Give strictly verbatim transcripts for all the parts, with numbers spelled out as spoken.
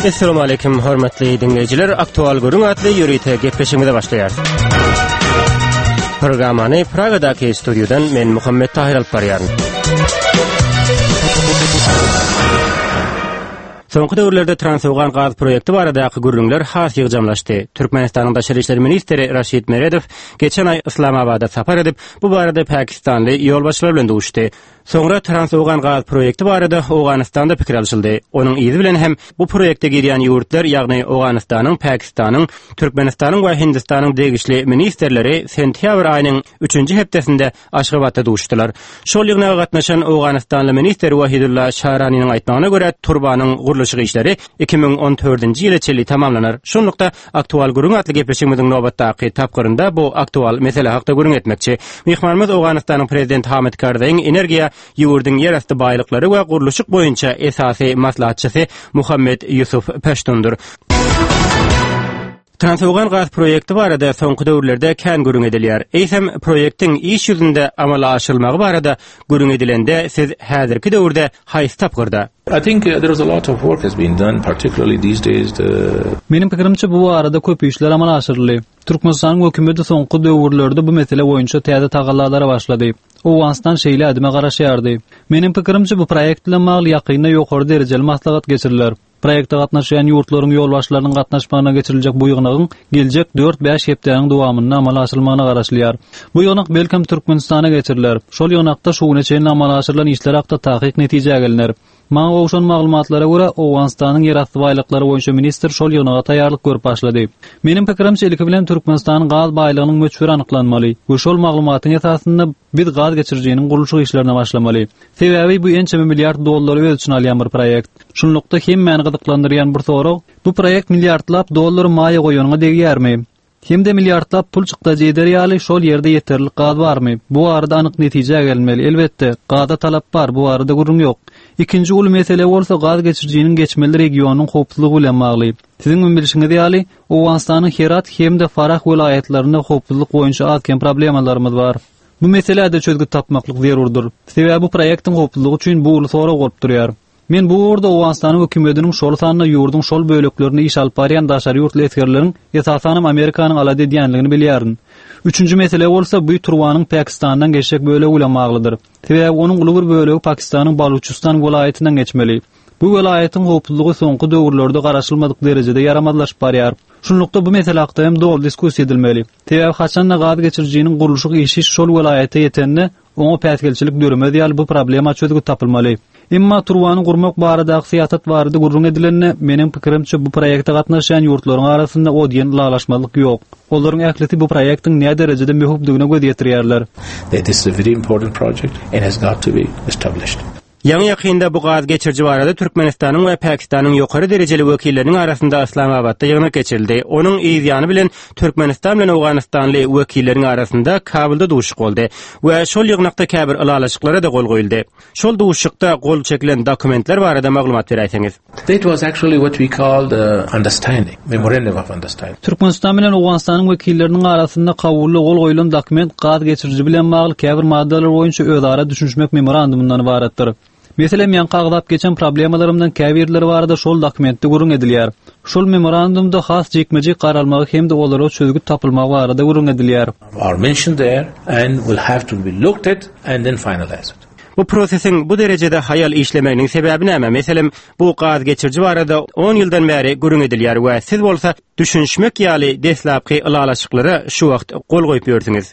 Essalamu aleýkum hormatly diňleýjiler. Aktual gürrüň atly ýörite gepleşigimize başlaýarys. Programmany Pragadaky studiýadan men Muhammet Tahir alyp barýaryn. Soňky döwürlerde Transowgan gaz proýekti baradaky gürrüňler has ýygjamlaşdy. Türkmenistanyň Daşary işler ministri Raşid Meredow geçen aý Yslamabada sapar edip, bu barada pakistanly ýolbaşçylar bilen duşdy. Soňra Transowgan gaz proýekti barada Owganystanda pikir alşyldy. Onuň yzy bilen hem bu proýekte girýän ýurtlar, ýagny Owganystanyň, Pakistanyň, Türkmenistanyň we Hindistanyň degişli ministrleri sentýabr aýynyň üçünji hepdesinde Aşgabatda duşdular. Şol ýygnaga gatnaşan Owganystanly ministr Wahidulla Şaraniniň aýtmagyna görä, turbanyň gurluşyk işleri iki müň on dördünji ýyla çenli tamamlanar. Şunlukda Aktual gürrüň atly gepleşigimiziň nobatdaky tapgyrynda bu aktual mesele hakda gürrüň etmekçi. Myhmanymyz Owganystanyň prezidenti Hamid Karzaýyň energiýa, ýurduň ýerasty baýlyklary we gurluşyk boýunça esasy maslahatçysy Muhammed Ýusuf Peştundyr. Transowgan gaz proýekti barada soňky döwürlerde kän gürrüň edilýär. Eýsem, proýektiň iş ýüzünde amala aşyrylmagy barada gürrüň edilende siz häzirki döwürde haýsy tapgyrda? I think uh, there is a lot of work has been done, particularly these days. The Meniň pikirimçe bu barada köp işler amala aşyryldy. Türkmenistanyň hökümeti soňky döwürlerde bu mesele boýunça täze tagallalara başlady. Owganystan şeýle ädime garaşýardy. Meniň pikirimçe bu proýekt bilen bagly ýakynda ýokary derejeli maslahat geçiriler. Proýekte gatnaşýan ýurtlaryň ýolbaşçylarynyň gatnaşmagyna geçiriljek bu ýygnagyň geljek dört-bäş hepdäniň dowamynda amala aşyrylmagyna garaşylýar. Bu ýygnak belkem Türkmenistana geçiriler. Şol ýygnakda şu güne çenli amala aşyrylan işler hakda takyk netijä geliner. Maňa gowşan maglumatlara görä, Owganystanyň ýerasty baýlyklary boýunça ministr şol ýygnaga taýýarlyk görüp başlady. Meniň pikirimçe ilki bilen Türkmenistanyň gaz baýlygynyň möçberi anyklanmaly we şol maglumatyň esasynda biz gaz geçirijiniň gurluşyk işlerine başlamaly. Sebäbi bu ençeme milliard dollary öz içine alýan bir proýekt. Şunlukda hemmäni gyzyklandyrýan bir sorag, bu proýekt milliardlap dollary maýa goýanyňa degýärmi? Hem-de milliardlap pul çykdajy eder ýaly şol ýerde ýeterlik gaz barmy? Bu barada anyk netijä gelmeli. Elbetde, gaza talap bar, bu barada gürrüň ýok. Ikinji uly mesele bolsa gaz geçirijiniň geçmeli regionyň howpsuzlygy bilen bagly. Siziň hem bilşiňiz ýaly, Owganystanyň Herat hem-de Farah welaýatlarynda howpsuzlyk boýunça az-kem problemalarymyz bar. Bu meselede çözgüt tapmaklyk zerurdyr. Sebäbi bu proýektiň howpsuzlygy üçin bu uly sorag bolup durýar. Men bu ugurda Owganystanyň hökümetiniň şol sanda ýurduň şol böleklerinde iş alyp barýan daşary ýurtly esgerleriň esasanam Amerikanyň alada edýänligini bilýärin. Üçünji mesele bolsa bu turbanyň Pakistandan geçjek bölegi bilen baglydyr. Sebäbi onuň uly bir bölegi Pakistanyň Baluçistan welaýatyndan geçmeli. Bu welaýatyň howpsuzlygy soňky döwürlerde garaşylmadyk derejede ýaramazlaşyp barýar. Şunlukda bu mesele hakda hem dogry diskussiýa edilmeli. Sebäbi haçanda gaz geçirijiniň gurluşyk işi şol welaýata ýetende, oňa päsgelçilik döremez ýaly bu problema çözgüt tapylmaly. Emma turbany gurmak baradaky syýasat barada gürrüň edilende, meniň pikirimçe bu proýekte gatnaşýan ýurtlaryň arasynda o diýen ylalaşmazlyk ýok. Olaryň ählisi bu proýektiň nä derejede möhümdigine göz ýetirýärler. That this is a very important project and has got to be established. Ýaňy ýakynda bu gaz geçiriji barada Türkmenistanyň we Pakistanyň ýokary derejeli wekilleriniň arasynda Yslamabatda ýygnak geçirildi. Onuň yz ýany bilen Türkmenistan bilen Owganystanly wekilleriň arasynda Kabulda duşuşyk boldy we şol ýygnakda käbir ylalaşyklara-da gol goýuldy. Şol duşuşykda gol çekilen dokumentler barada maglumat beräýseňiz. That was actually what we call the understanding, memorandum of understanding. Türkmenistan bilen Owganystanyň wekilleriniň arasynda Kabulda gol goýulan dokument gaz geçiriji bilen bagly käbir maddalar boýunça özara düşünişmek memorandumyndan ybaratdyr. Meselem, ýaňky agzap geçen problemalarymdan käbirleri barada şol dokumentde gürrüň edilýär. Şol memorandumda has jikme-jik garalmagy hem-de olara çözgüt tapylmagy barada gürrüň edilýär. Are mentioned there and will have to be looked at and then finalized. Bu prosesiň bu derejede haýal işlemeginiň sebäbi näme? Meselem, bu gaz geçiriji barada on ýyldan bäri gürrüň edilýär we siz bolsa düşünişmek ýaly deslapky ylalaşyklara şu wagt gol goýup ýörsüňiz.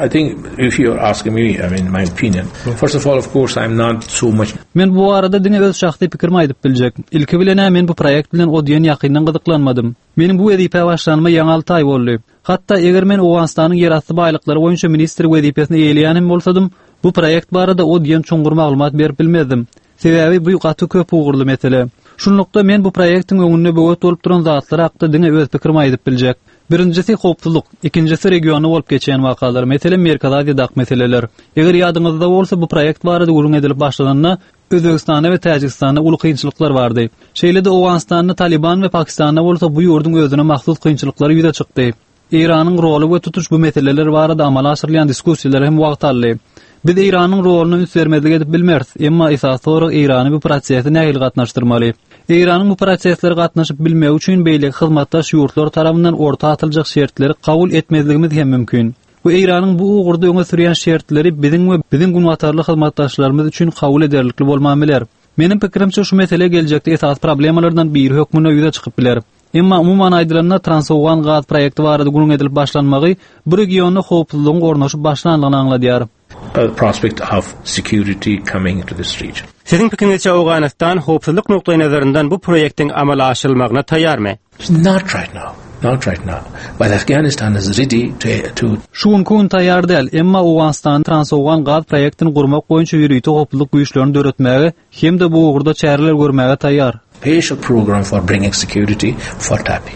I think if you are asking me, I mean my opinion. First of all, of course, I'm not so much. Men bu barada diňe öz şahsy pikirimi aýdyp biljek. Ilki bilen-ä men bu proýekt bilen o diýen ýakyndan gyzyklanmadym. Meniň bu wezipä başlanyma ýaňy alty aý boldy. Hatda eger men Owganystanyň ýerasty baýlyklary boýunça ministr wezipesini eýeleýän hem bolsadym, bu proýekt barada o diýen çuňňur maglumat berip bilmezdim. Sebäbi bu gaty köp ugurly mesele. Şunlukda men bu proýektiň öňünde böwet bolup duran zatlar hakda diňe öz pikirimi aýdyp biljek. Birinjisi howpsuzlyk, ikinjisi regionda bolup geçýän wakalar, meselem Merkezi Aziýadaky meseleler. Eger ýadyňyzda bolsa bu proýekt barada gürrüň edilip başlananda Özbegistanda we Täjigistanda uly kynçylyklar bardy. Şeýle-de Owganystanda Taliban we Pakistanda bolsa bu ýurduň özüne mahsus kynçylyklary ýüze çykdy. Eýranyň roly we tutuş bu meseleler barada amala aşyrylýan diskussiýalar hem wagt aldy. Biz Eýranyň roluna üns bermezlik edip bilmeris, emma esasy sorag Eýrany bu prosese nähili gatnaşdyrmaly? Eýranyň bu proseslere gatnaşyp bilmegi üçin beýleki hyzmatdaş ýurtlar tarapyndan orta atyljak şertleri kabul etmezligimiz hem mümkin. Bu Eýranyň bu ugurda öňe sürýän şertleri biziň we biziň günbatarly hyzmatdaşlarymyz üçin kabul ederlikli bolman biler. Meniň pikirimçe şu mesele geljekde esasy problemalardan biri hökmünde ýüze çykyp biler. Emma umuman aýdylanda Transowgan gaz proýekti barada gürrüň edilip başlanmagy bu regionda howpsuzlygyň ornaşyp başlandygyny aňladýar. A prospect of security coming to this region. Siziň pikiriňizçe Owganystan howpsuzlyk nukdaýnazaryndan bu proýektiň amala aşyrylmagyna taýýarmy? Not right now. Not right now. But Afghanistan is ready to, to Şu günki gün taýýar däl, emma Owganystan Transowgan gaz proýektini gurmak boýunça ýörite howpsuzlyk güýçlerini döretmäge hem-de bu ugurda çäreler görmäge taýýar. special program for bringing security for TAPI.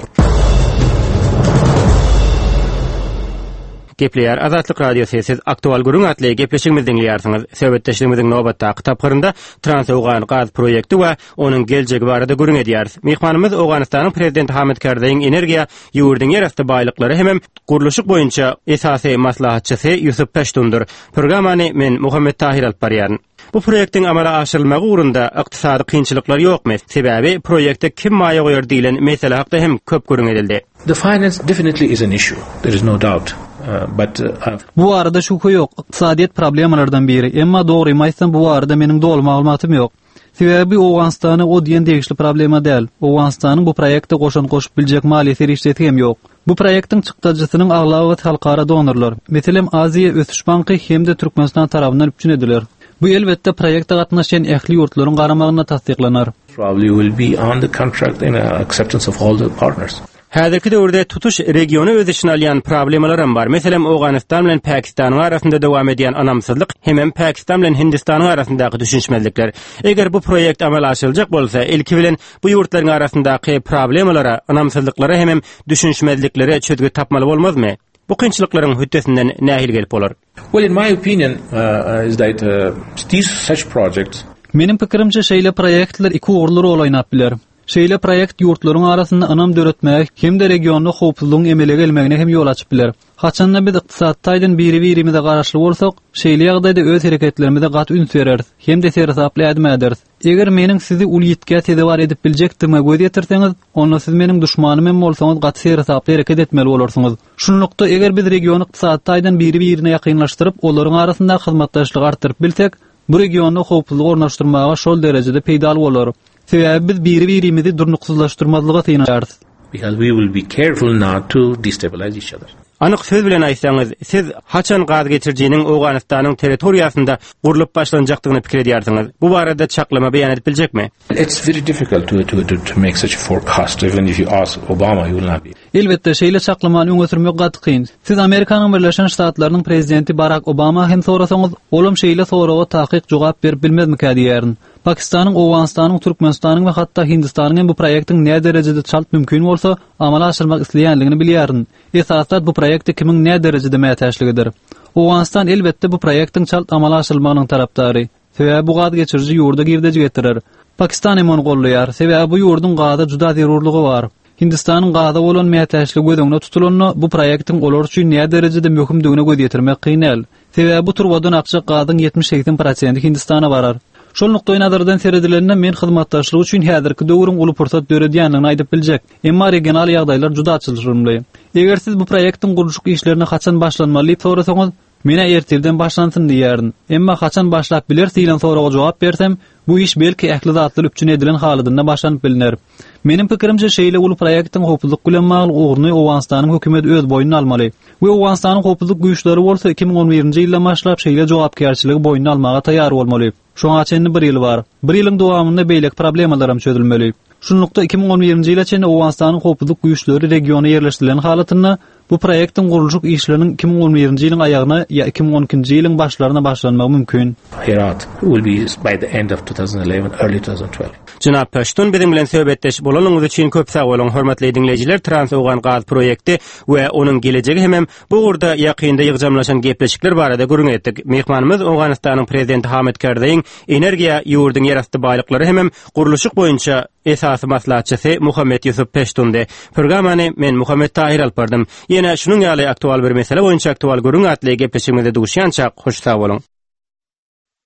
Gepleýär Azatlyk Radiosy siz aktual gürrüň atly gepleşigimizi diňleýärsiňiz. Söhbetdeşligimiziň nobatdaky tapgyrynda Transowgan gaz proýekti we onuň geljegi barada gürrüň edýäris. Myhmanymyz Owganystanyň prezidenti Hamid Karzaýyň energiýa, ýurduň ýerasty baýlyklary hem gurluşyk boýunça esasy maslahatçysy Ýusuf Peştundyr. Programmany men Muhammet Tahir alyp barýaryn. Bu proýektiň amala aşyrylmagy ugrunda ykdysady kynçylyklar ýokmy? Sebäbi proýekte kim maýa goýar diýlen mesele hakda hem köp gürrüň edildi. The finance definitely is an issue. There is no doubt. Uh, but uh, Bu barada şübhe ýok. Ykdysadyýet problemalardan biri. Emma dogrymy aýtsam bu barada meniň doly maglumatym ýok. Sebäbi Owganystana o diýen degişli problema däl. Owganystanyň bu proýekte goşant goşup biljek maliýe serişdesi hem ýok. Bu proýektiň çykdajysynyň aglabasy halkara donorlar. Meselem Aziýa Ösüş Banky hem-de Türkmenistan tarapyndan üpjün ediler. Bu elbetde proýekte gatnaşýan ähli ýurtlaryň garamagynda tassyklanar. probably will be on the contract in acceptance of all the partners. Häzirki döwürde tutuş regiony öz içine alýan problemalar hem bar. Meselem Owganystan bilen Pakistanyň arasynda dowam edýän ynamsyzlyk hem Pakistan bilen Hindistanyň arasyndaky düşünişmezlikler. Eger bu proýekt amala aşyryljak bolsa, ilki bilen bu ýurtlaryň arasyndaky problemalara, ynamsyzlyklara hem düşünişmezliklere çözgüt tapmaly bolmazmy? Bu kynçylyklaryň hötdesinden nähili gelip bolar? Well, in my opinion, uh, is that uh, these such projects Meniň pikirimçe şeýle proýektler iki ugurly rol oýnap biler. Şeýle proýekt ýurtlaryň arasynda ynam döretmäge hem-de regionda howpsuzlygyň emele gelmegine hem ýol açyp biler. Haçanda biz ykdysady taýdan biri-birimize garaşly bolsak, şeýle ýagdaýda öz hereketlerimize gaty üns bereris hem-de seresaply ädim äderis. Eger meniň sizi uly ýitgä sezewar edip biljekdigime göz ýetirseňiz, onda siz meniň duşmanym hem bolsaňyz gaty seresaply hereket etmeli bolarsyňyz. Şunlukda eger biz regiony ykdysady taýdan biri-birine ýakynlaşdyryp, olaryň arasynda hyzmatdaşlygy artdyryp bilsek, bu regionda howpsuzlygy ornaşdyrmaga şol derejede peýdaly bolar. Sebäbi biz biri-birimizi durnuksyzlaşdyrmazlyga synanarys. because we will be careful not to destabilize each other. Anyk söz bilen aýtsaňyz, siz haçan gaz geçirijiniň Owganystanyň territoriýasynda gurlup başlanjakdygyny pikir edýärsiňiz. Bu barada çaklama beýan edip biljekmi? It's very difficult to, to, to, to make such a forecast. Even if you ask Obama, he will not be. Elbetde şeýle çaklamany öňe sürmek gaty kyn. Siz Amerikanyň Birleşen Ştatlarynyň prezidenti Barack Obama hem sorasaňyz, olam şeýle soraga takyk jogap berip bilmezmikä diýerin. Pakistanyň, Owganystanyň, Türkmenistanyň we hatda Hindistanyň hem bu proýektiň näme derejede çalt mümkin bolsa amala aşyrmak isleýänligini bilýärin. Esasda bu proýekte kimiň näme derejede mätäçligidir. Owganystan elbetde bu proýektiň çalt amala aşyrylmagynyň tarapdary. Sebäbi bu gaz geçiriji ýurda girdeji getirer. Pakistan hem ony goldaýar. Sebäbi bu ýurduň gaza juda zerurlygy bar. Hindistanyň gaza bolan mätäçligi göz öňünde tutulanda bu proýektiň olar üçin näme derejede möhümdigine göz ýetirmek kyn däl. Sebäbi bu turbadan akjak gazyň ýetmiş segsen prosenti Hindistana barar. Şol nukdaý nazardan seredilende men hyzmatdaşlyk üçin häzirki döwrüň uly pursat döredýändigini aýdyp biljek. Emma regional ýagdaýlar juda çylşyrymly. Eger siz bu proýektiň gurluşyk işlerine haçan başlanmaly diýip sorasaňyz, menä ertirden başlansyn diýerin. Emma haçan başlap biler diýlen soraga jogap bersem, bu iş belki ähli zatlar üpjün edilen halatynda başlanyp biliner. Meniň pikirimçe şeýle uly proýektiň howpsuzlyk bilen bagly ugruny Owganystanyň hökümeti öz boýnuna almaly. We Owganystanyň howpsuzlyk güýçleri bolsa iki müň on birinji ýyldan başlap şeýle jogapkärçiligi boýnuna almaga taýýar bolmaly. Şoňa çenli bir ýyl bar. Bir ýylyň dowamynda beýleki problemalar hem çözülmeli. Şunlukda iki müň on birinji ýyla çenli Owganystanyň howpsuzlyk güýçleri regiona ýerleşdirilen halatynda bu proýektiň gurluşyk işleriniň iki müň on birinji ýylyň aýagyna ýa iki müň on ikinji ýylyň başlaryna başlanmagy mümkin. Herat will be by the end of two thousand eleven, early two thousand twelve. Jenap Peştun biziň bilen söhbetdeş bolanyňyz üçin köp sag boluň. Hormatly diňleýjiler, Trans-Owgan gaz proýekti we onuň gelejegi hemem bu ugurda ýakynda ýygjamlaşan gepleşikler barada gürrüň etdik. Myhmanymyz Owganystanyň prezidenti Hamid Karzaýyň energiýa, ýurduň ýerasty baýlyklary hemem gurluşyk boýunça esasy maslahatçysy Muhammet Ýusuf Peştundy. Programmany men Muhammet Tahir alyp bardym. Ýene şunuň ýaly aktual bir mesele boýunça aktual gürrüň atly gepleşigimizde duşýançak hoş sag boluň.